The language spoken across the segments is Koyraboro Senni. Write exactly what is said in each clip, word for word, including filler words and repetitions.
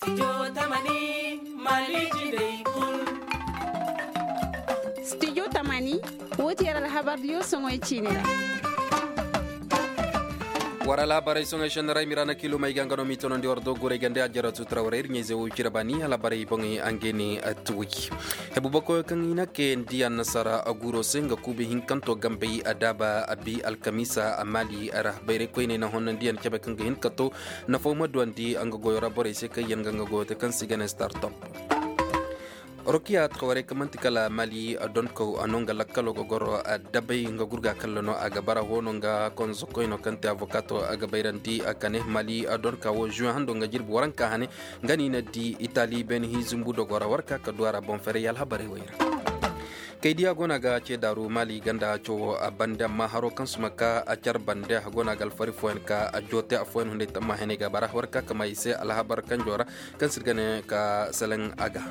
Studio tamani, woo ti yer alhabar diyo soŋoy ciini ra. War alhabarey soŋey šenni ra ay ma i ra na kiilum ay ga nga no m'i tonandi war do guray gande a jaratu trawrey ir ɲayze wo cire baani alhabarey boŋey a ngey ne. Tuwi hebu bakoyo kaŋ i na kayandi annasaara guuro se nga kuubi hinkanto gambey a daaba a bi alkamiisa a maali ra bayray koyney na honnandiyaŋ cebe kaŋ ga hin ka to. Nafaw ma duwandi nga goyo ra borey se kaŋ yaŋ ga nga goyo te kaŋ se i ga ne startup. Rokiya tawarey kaŋ man'ti kala mali donkaw a no nga lakkalo ga goro dabay nga gurga kalla no a ga bara hoono nga konzokoyno kaŋ te avokato a ga bayrandi a kane mali donka wo juwe hando nga jirbi waranka hane. Nga no i na di itali beene hinzumbu dogo ra warka ka du a ra boŋ ferey alhabarey wey ra. Kay diya go no a ga ce daaru mali ganda coowo a bande amma haro kaŋ suma ka a car bande a go no a ga alfari fooyaŋ ka a joote affooyaŋ hunday tamma henay ga bara warka kama i se alhabar kanjo ra. Kaŋ se ir ga ne ka seleŋ a ga.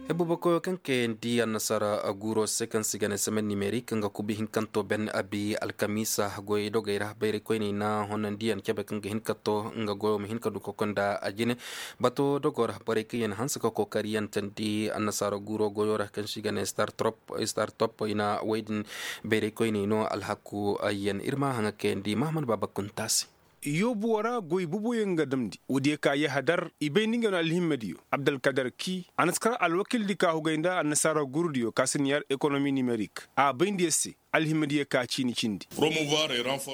Hebu bakoyo kaŋ kayandi annasaara guuro se kaŋ se i ga ne semaine nimerik nga kubi hinkanto ben a bi alkamiisa goyey dogey ra bayray koyney na honandiyaŋ cebe kaŋ ga hin ka to nga goyo ma hin ka du ka konda a jine. Bato dogo ra borey kaŋ yaŋ hanse ka kookariyaŋ tandi annasaara guuro goyo ra kaŋ se i ga ne startup i na wey din. Bayray koyney no alhaku yaŋ ir ma haŋa kayandi mahamad baaba kunta se. Yoobuwo ra goy boboyaŋ ga damndi woodiyo ka yahadar i bay nda ngey no alhimmadiyo abdalkadar ki a na si kar alwakildi ka hugay nda annasaara gurudiyo ka si na yar ekonomi nimerik a bay nda yer se. Alhimmadiyo ka ciini cindi.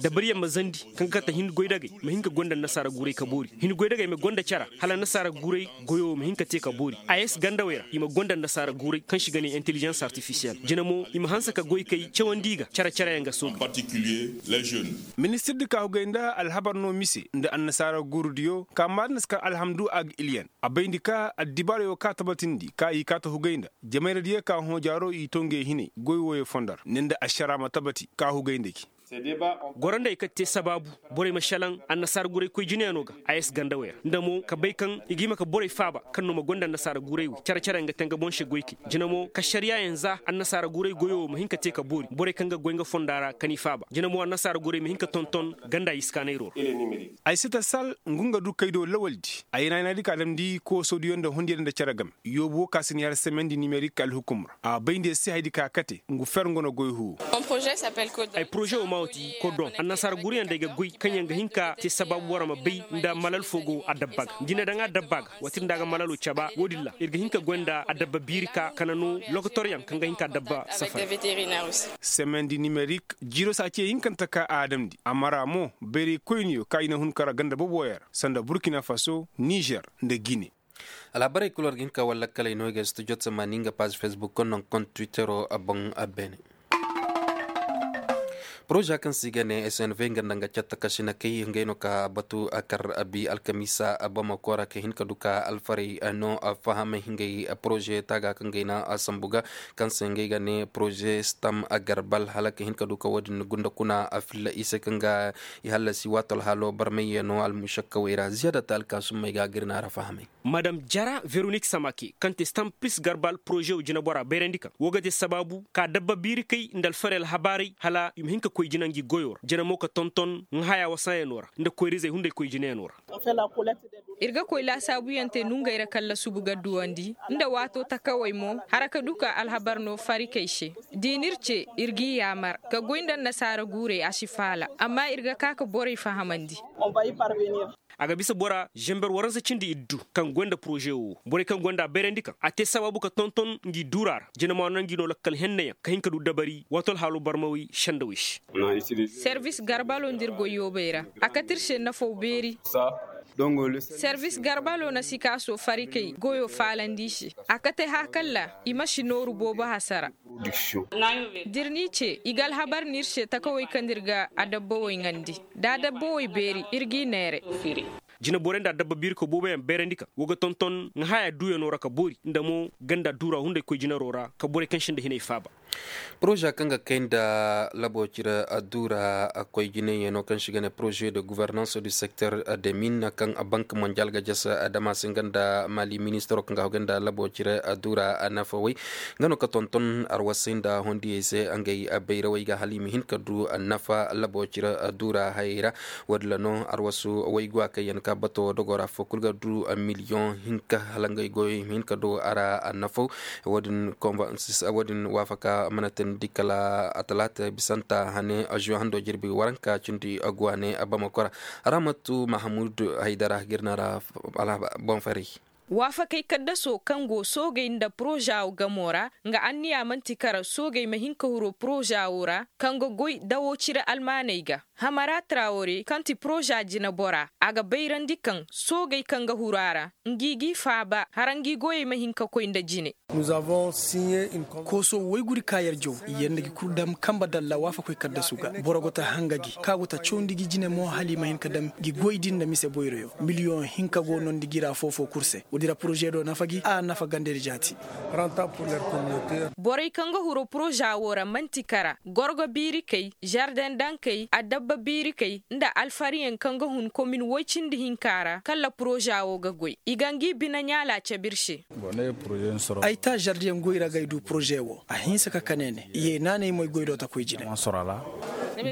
Dabariyaŋ ma zandi kaŋ ga kate hin goydagey ma hin ka gonda annasaara guray ka boori hin goydagey ma gonda cara hala annasaara guray goyo ma hin ka te ka boori a yee si gandawey ra i ma gonda annasaara guray kaŋ se i ga ne intelligence artifisiyel jina mo i ma hanse ka goykey cawandi i ga care careyaŋ ga soogu. Ministirdi ka hugay nda alhabar no mise nda annasaara guurudiyo ka maadin si kar alhamdu a ga ilyan a bayndi ka addibaarey wo ka tabatindi ka i kaata hugay nda jamayradiyo ka hõojaaro i to ngey hinay goy wooyo fondor ne nda ašara ma tabati ka hugay nda gi. Gorandey kaŋ te sabaabu borey ma šelaŋ annasaara guray koy jineyaŋo ga a yee si gandawey ra nda mo ka bay kaŋ i ga hima ka borey faaba kaŋ no ma gonda annasaara guray wo care care nga te nga boŋ se goykey jina mo ka ašariyaayaŋ za annasaara guray goyo wo ma hin ka te ka boori borey kaŋ ga goy nga fonda ra ka ni faaba jina mo annasaara guray ma hin ka tonton ganda iskaanayro ra. Ay si ta sal ngu nga du kaydo lawaldi ay naynaydi ka damndi koosodiyo nda hundiyo nda cere game yoobu wo ka si ni har semendi nimerik alhukum ra a bayndi yer se haydi ka kate ngu fer nga no goy huwo. Ay poroze wo ma wo ti kodoŋ annasaara guruyaŋ da ay ga goy kaŋ yaŋ ga hin ka te sabaabu boro ma bay nda malal fo go adabba ga nda i na daŋ adabba ga waati nda a ga malalo caba wo-din ra ir ga hin ka goy nda adabba biiri ka kana no lokotoryaŋ kaŋ ga hin ka adabba safari. Semendi nimerik jiiro se a ce hinkante ka a damndi amma ra mo bayray koyniyo ka i na hun kara ganda boboyaŋ ra sanda burkina faso nizer nda gine. Alhabarey kul war ga hin ka war lakkaley no i ga studio tamaani nga paazi facebook konno kont twittero boŋ. Beene poroza kaŋ se i ga ne snv nga nda nga catta kasina kay ngey no ka batu kar abi alkamiisa bamako ra ka hin ka du ka alfarey no fahamay ngey poroze taaga kaŋ ngey na sambu ga kaŋ se ngey ga ne poroze stam garbal hala ka hin ka du ka wo-din gunda kuna filla i se kaŋ ga i hallasi waato alhaalo barmayyaŋo almušakkawey ra ziyaada ta alkaasummey ga a ga ir naara fahamay. Madam jara veronik samake kaŋ te stampis garbal porozew jineboraa bayrandi kaŋ woo ga te sabaabu ka dabba biirikey nda alfarey alhabaarey hala i ma hin ka koy jina ngi goyoo ra jina mo ka tonton nga hayaa wasayaŋoo ra nda koyrizey hunday koy jinayaŋoo ra. Ir ga koy laasaabuyaŋ te nongey ra kaŋ lasubu ga duwandi nda waatoo takawey mo hara ka du ka alhabar no farikey se. Da i n'ir cee ir g'i yaamar ka goy nda annasaara guurey a si faala amma ir ga ka ka borey fahamandi. A ga bisa bora zember waransa cindi iddu kaŋ goy nda poroze woo borey kaŋ goy nda a bayrandi kaŋ a te sabaabu ka tonton ngi duuraa ra jina mo a na ngi no lakkal henneyaŋ ka hin ka du dabari waati alhaaloo barmawey sendawey se. Serbis garbaloo nda ir goy yoobey ra a kate ir se nafaw beeri. Serbis garbaloo na sikaasoo farikey goyoo faalandi i se a kate hã kaŋ ra i ma si nooru boobo hasara. Da ir n'i cee i ga alhabar n'ir se takawey kaŋ nda ir ga adabbawey ŋandi da adabbawey beeri ir g'i neere. Jinaborey nda adabba biirikoy booboyaŋ bayrandi kaŋ woo ga tonton nga haya duuyanoo ra ka boori nda mo ganda duuraa hunday koy jinaroo ra ka borey kaŋ sinda hinay faaba. Poroza kaŋ ga kay nda labo cire adduura koy jinayyaŋo kaŋ se i ga ne poroze de guvernanse du sekter de min kaŋ bank mondial ga jasa adama se nga nda mali ministaro kaŋ ga hagu nda labo cire adduura nafa way. Nga no ka tonton arwasay nda hondiyey se ngey bayrawey ga hala i ma hin ka du nafa labo cire adduura hayey ra. Wo- din ra no arwasu wayguwa kaŋ yaŋ ka bato dogo ra fo kulu ga du miliyoŋ hinka hala ngey goyey ma hin ka du a ra nafaw. Wo- din waafaka mana teendi kala atalaata bisanta hane azuwa hando jirbi waranka cindi aguwa ne a bamako ra. Ramatu mahamud haydara ga ir na ra boŋ faray. Waafakey kaddasoo kaŋ go soogey nda poroza wo gamoo ra nga anniya man'ti kara soogey ma hin ka huru poroza wo ra kaŋ ga goy dawo cire almaaney ga. Hamara trawore kaŋ ti poroza jineboraa a ga bayrandi kaŋ soogey kaŋ ga huru a ra ngi g'i faaba hara ngi goyey ma hin ka koy nda jine. Kooso woy guri ka yer jaw yer nda gi kul dam kamba dalla waafakoy kaddasu ga boro go ta hanga gi ka go ta cawndi gi jine mo hala i ma hin ka dam gi goy din nda mise boyroyo miliyoŋ hinka go nondi gi ra foofo kul se woodi ra poroze do nafa gi a nafa gandedi jaati. Borey kaŋ ga huru poroza wo ra man'ti kara gorgo biirikey zarden dankey adabba biirikey nda alfariyaŋ kaŋ ga hun komin woy cindi hinka ra kala poroza wo ga goy i ga ngi bine ɲaala cabe ir se. Ay ta zardiyaŋ goy ra ga ay du poroze wo a hinsa ka kane ne ye naanay moy goy do ta koy jine.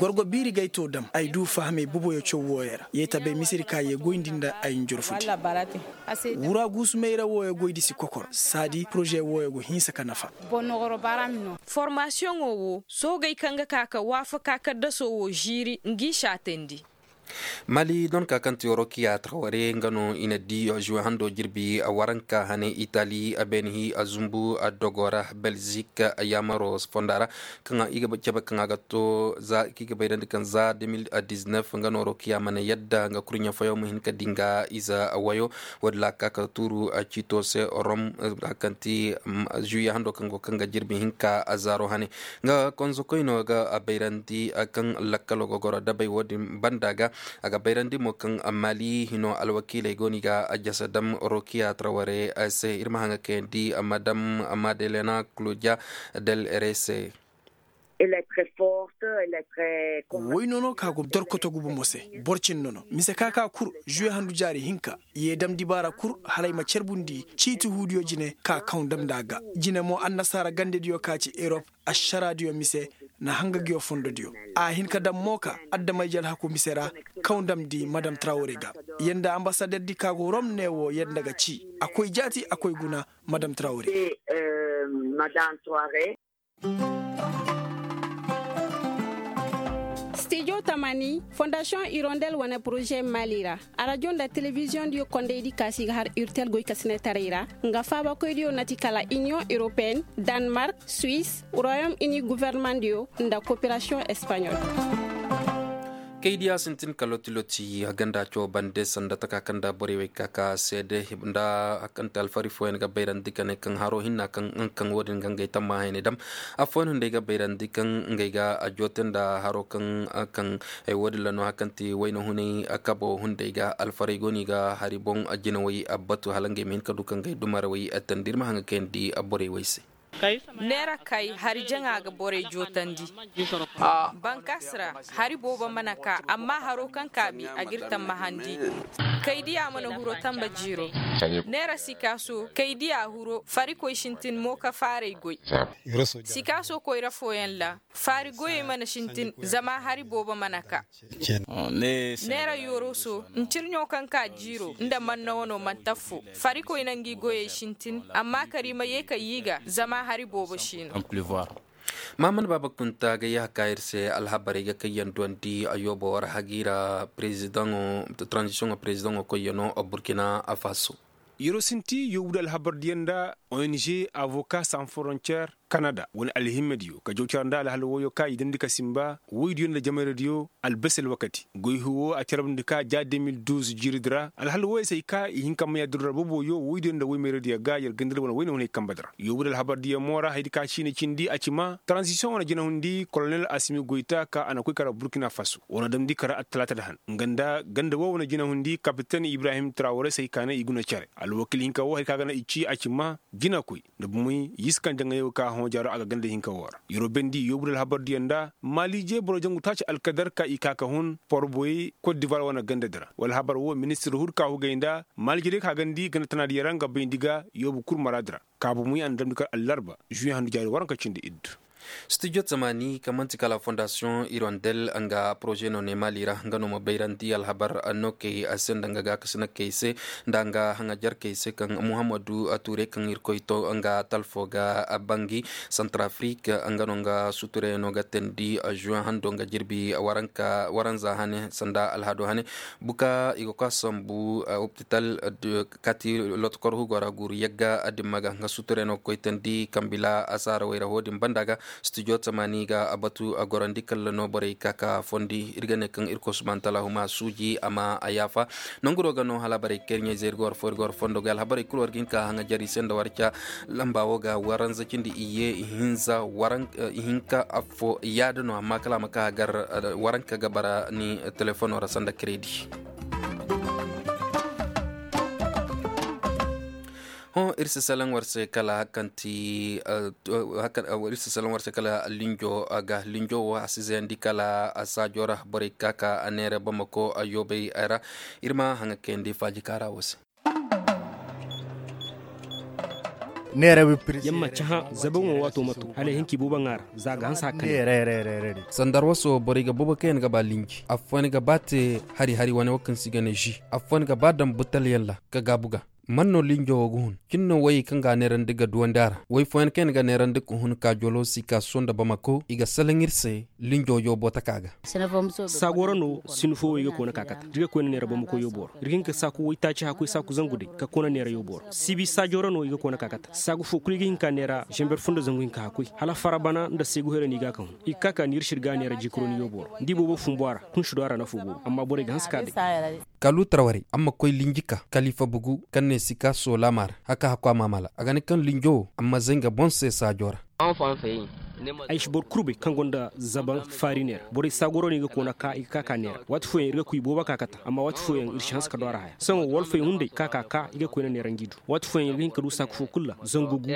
Gorgo biiri ga ay to dam ay du fahamey boboyo caw wooyo ra ye ta bay misedi ka ye goyndi nda ay njorfudi. Wura guusu mayra wooyo goydi si kokor saadi poroze wooyo go hinsa ka nafa. Formasiyoŋo wo soogey kaŋ ga ka ka waafaka kaddasoo wo ziiri ngi saatandi. Mali donka kaŋ ti rokiya traware nga no i na di zuwe hando jirbi waranka hane itali beenihi zumbu dogo ra belzik yaamaro fonda ra kaŋ i ga cabe kaŋ a ga to za kaŋ i ga bayrandi kaŋ za deux mille dix-neuf nga no rokiya mana yadda nga kurɲe foyo ma hin ka di nga ize wayo. Wo- din ra a ka ka tuuru ciito se rom kaŋ ti zuwe hando kaŋ go kaŋ ga jirbi hinka zaaro hane. Nga konzokoy no ga a bayrandi kaŋ lakkalo ga goro dabay wo- din banda ga. A ga bayrandi mo kaŋ mali hino alwakiiley go no i ga jasa dam rokiya traware se ir ma haŋa kayandi madam madelena claudia del rey se. Woy nono ka go dorkoto gubo mo se. Boro cin nono mise ka ka kul zuwe handu jaari hinka ye dam dibaara kul hala ay ma carbundi ciiti huudiyo jine ka kaŋ dam nda a ga jine mo annasaara gandediyo ka ci erop. Ašaraadiyo mise na hanga ngiyo fondodiyo a hin ka daŋ mo ka adamay jalhaku mise ra. Kaw ndamndi madam trawre ga yanda ambasaderdi ka go rom ne wo yanda ga ci a koy jaati a koy guna. Madam trawre. Stijo tamani fondasiyoŋ irondel wane poroze mali ra. Arajo nda telebiziyoŋ diyo kondaydi kaasi ga har urtel goy ka sinetaray ra. Nga faabakoydiyo na ti kala iniyoŋ europeen, danmark, suwis, royom ini guvernemandiyo nda koperasiyoŋ espanyol. Kaydiya sintin ka loti loti a ganda coo bande sanda taka kaŋ nda borey wey ka ka seede nda a kaŋ te alfari fooyaŋ ga bayrandi ka ne kaŋ haro hinna kaŋ nga kaŋ wo- din ga ngey tamma hayne dam. Affooyaŋ hunday ga bayrandi kaŋ ngey ga a joote nda haro kaŋ kaŋ. Wo- din ra no hari kaŋ ti wayna hunay kabo hunday ga alfarey go no i ga hari boŋ jinawey batu hala ngey ma hin ka du ka ngey dumarawey tandi ir ma haŋ ga kayandi borey wey se. Neera kay hari jaŋa ga borey jootandi. Bankas ra hari boobo mana ka amma haro kaŋ ka bi a g'ir tammahandi. Kaydiya mana huro tamba jiiro. Neera sikaaso kaydiya huro farikoy sintin mo ka faarey goy. Sikaaso koyra fooyaŋ ra faari goyey mana sintin zama hari boobo mana ka. Neera yoroso ntirɲo kaŋ ka jiiro nda manna wano mana taffo. Farikoy na ngi goyey sintin amma kar i ma ye ka yi ga zama hari boobo si no. Mahammad baaba kunta ga yaha ka ir se alhabarey ga kaŋ yaŋ duwandi a yoobo war hagi ra. Taranzisiyoŋo perezidaŋo koy yaŋ no burkina faso. Yero sinti yoobu da alhabardiyaŋ nda ong avoka san frontier kanada wane alhimmediyo ka jaw cara nda alhal woyo ka i dandi ka simba woydiyo nda jamayradiyo. Albasi alwakati goy huwo a carabndi ka ja deux mille douze jiiridi ra alhal woyo se ay ka i hin ka maya duru ra boboyo woydiyo nda woymayradiyo ga yer gandadi wane woyne hunay kambadi ra yoobu da alhabardiyaŋ mo ra hayadi ka ciini cindi a ci ma taranzisiyoŋ wane jinahundi kolonel asimi goyta ka a na koy kara burkina faso wane damndi kara attalaata da han nga nda ganda wo wane jinahundi kapiten ibrahim trawore se ay ka ne i guna care alwakil hinka wo hari ka ga na i ci a ci ma jinakoy nda bumey yiskan jaŋayo ka hõ. Jaaro a ga ganda hinka woo ra. Yeroo bayndi yoobu da alhabar diyaŋ nda maali jee boro jangu taaci alkadar ka i ka ka hun porboyey kot divar wane ganda di ra wala habar woo ministir hur ka hugay nda maali jee day ka gandi ganda tana diyaŋ ra nga bayndi ga yoobu kul maraadi ra. Kaabu muy a na damndi kar allarba žuwiyaŋ handu jaari waranka cindi iddu. Studio tamaani kaŋ man'ti kala fondasiyoŋ irondel nga poroze no ne maali ra nga no ma bayrandi alhabar, nokey a se nda nga gaakasi nokey se nda nga haŋajarkey se kaŋ muhammadu tuure kaŋ irkoy to nga talfo ga bangi santarafrik nga no nga suturayano ga teendi žuwen hando nga jirbi waranza hane sanda alhado hane. Buka i ga koy a sambu opital kati lotokor hugo ra guuru yagga dimma ga nga suturayano ga koy teendi kambila asaara wayra ho din banda ga. Studio tamaani ga a batu a gorandi kalla no borey ka ka fondi ir ga ne kaŋ ir kosmantala huma suuji a ma a yaafa. Nanguro ga no hala borey kayri ɲayze ir ga war fo ir ga war fondo ga alhabarey kulu war ga hin ka haŋa jari se nda war ca lamba wo ga waranza cindi iyye ihinza waranka affo yaada no amma kala a ma ka a gar waranka ga bara ni telefono ra sanda kredi. Hõ ir si salaŋ war se kala hakanti ir si salaŋ war se kala linjo ga linjo wo a si zayandi kala saajo ra borey ka ka a neera bamako a yoobay ra. Ir ma haŋa kayandi faaji kaara wo se. Yamma caha zabaŋo waato ma to hala i hin ka i boobo ŋaara za a ga hanse hakka ne. Sanda arwaso borey ga boobo kaŋ yaŋ ga ba linji affooyaŋ ga ba te hari hari wane wo kaŋ se i ga ne zi affooyaŋ ga ba daŋ butalyaŋ ra ka gaabu ga. Man no linjo wo ga hun cin no wayey kaŋ ga a neerandi ga duwandi a ra way fooyaŋ kaŋ yaŋ ga neerandi ka hun ka jolo sikaso nda bamako i ga salaŋ ir se. Linjo yoobo taka ga. Saago ra no sinu fo wo i ga koona ka kata da i ga koyna neera bamako yoobo ra ir ga hin ka saaku waytaaci hakkoy saaku zangu day ka koona neera yoobo ra sibi saajo ra no i ga koona ka kata saagu fo kulu i ga hin ka neera zamber fo nda zangu hinka hakkoy hala fara bana nda seegu hera no i ga a ka hun i ga ka ka niir sirga neera jikuroni yoobo ra nda i boobo fumbu a ra kunsi do a ra nafo boobo amma borey ga hanse ka day. Kaalu tarwarey amma koy linji ka kalifa bugu kaŋ ne sika soolama ra haka hakku a maamala a ga ne kaŋ linjo wo amma zay nga boŋ se saajo ra. Ay si boro kul bay kaŋ gonda zaban faari neera borey saagoro no i ga koona ka i ga ka ka neera waati fooyaŋ ir ga koy boobo ka kata amma waati fooyaŋ ir si hanse ka do a ra haya sohõ walfey hunday ka ka ka i ga koyna neera ngi du waati fooyaŋ ir ga hin ka du saaku fo kul ra zangu gu.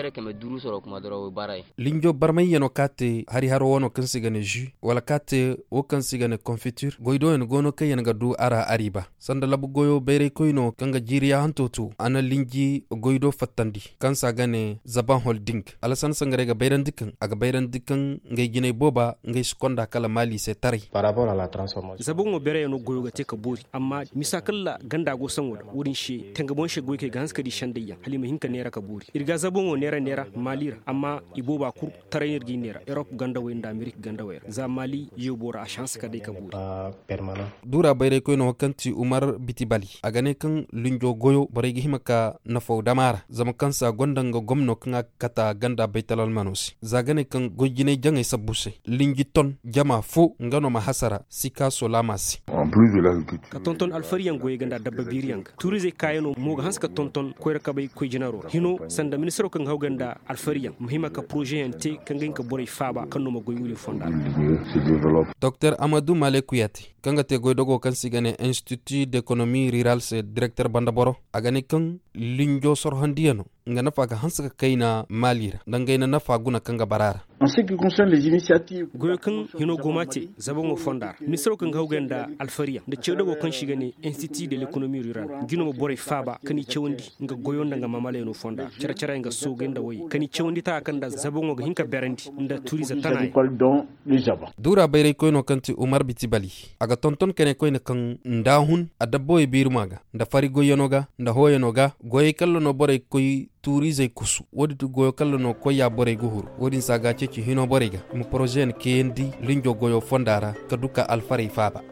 Linjo barmayyaŋo ka te hari haro wano kaŋ se i ga ne zi wala ka te wo kaŋ se i ga ne konfitir goy do yaŋ go no kaŋ yaŋ ga du a ra ariiba. Sanda labu goyo bayraykoy no kaŋ ga jiiri yaahanto to a na linji goy do fattandi kaŋ se a ga ne zaban holding. Alasan sangaray ga bayrandi kaŋ a ga bayrandi kaŋ ngey jinay booba ngey si konda kala maali se taray. Zabaŋo bereyaŋo goyo ga te ka boori amma misa kala ganda go saŋo da wo-din se tengaboŋ se goy kaŋ i ga hanse ka di sendayyaŋ hala i ma hin ka neera ka boori ir ga zabaŋo neera neera maali ra amma i booba kul taray no ir ga i neera erop gandawey nda amerik gandawey ra za maali yoobo ra a si hanse ka day ka boori. Duura bayraykoy no kaŋ ti umar bitibali a ga ne kaŋ linjo goyo borey ga hima ka nafaw dama ra zama kaŋ se a gonda nga gomno kaŋ a ga kata ganda baytalalmano se za ga ne kaŋ goy jinay jaŋay sabbu se linji ton jama fo nga no ma hasara sika solama se. Ka tonton alfariyaŋ goyey ga nda dabba biiriyaŋ ga tuurizey kaayano mo ga hanse ka tonton koyra kabay koy jinaro ra hino sanda ministiro kaŋ ga haw ga nda alfariyaŋ ma hima ka porozeyaŋ te kaŋ ga hin ka borey faaba kaŋ no ma goy wuri fonda ra. Doktor amadu maleku ya te kaŋ ga te goydogo kaŋ se i ga ne institut d'économie rurale se direkter banda boro a ga ne kaŋ linjo sorhondiyano nga nafa ga hanse ka kayna maali ra nda ngey na nafa guna kaŋ ga bara a ra. Goyo kaŋ hino go ma te zabaŋo fonda ra ministiro kaŋ ga hawgay nda alfariyaŋ nda ceedogo kaŋ se i ga ne institut de l'économie rurale nga no ma borey faaba kaŋ i cawandi nga goyo nda nga maamalayano fonda ra care-careyaŋ ga soogay nda wayey kaŋ i cawandi taka kaŋ nda zabaŋo ga hin ka berandi nda tuuriize tana yaŋ. Duura bayraykoyno kaŋ ti umar bitibali a ga tonton kane koyne kaŋ nda a hun adabbawey biiruma ga nda fari goyyano ga nda hooyano ga goyey kalla no borey koy tuuriizey kusu wo-din ti goyo kalla no koyya borey ga huru wo-din se a ga a ceeci hino borey ga i ma porozeyaŋ kayandi linjo goyo fonda ra ka du ka alfarey faaba.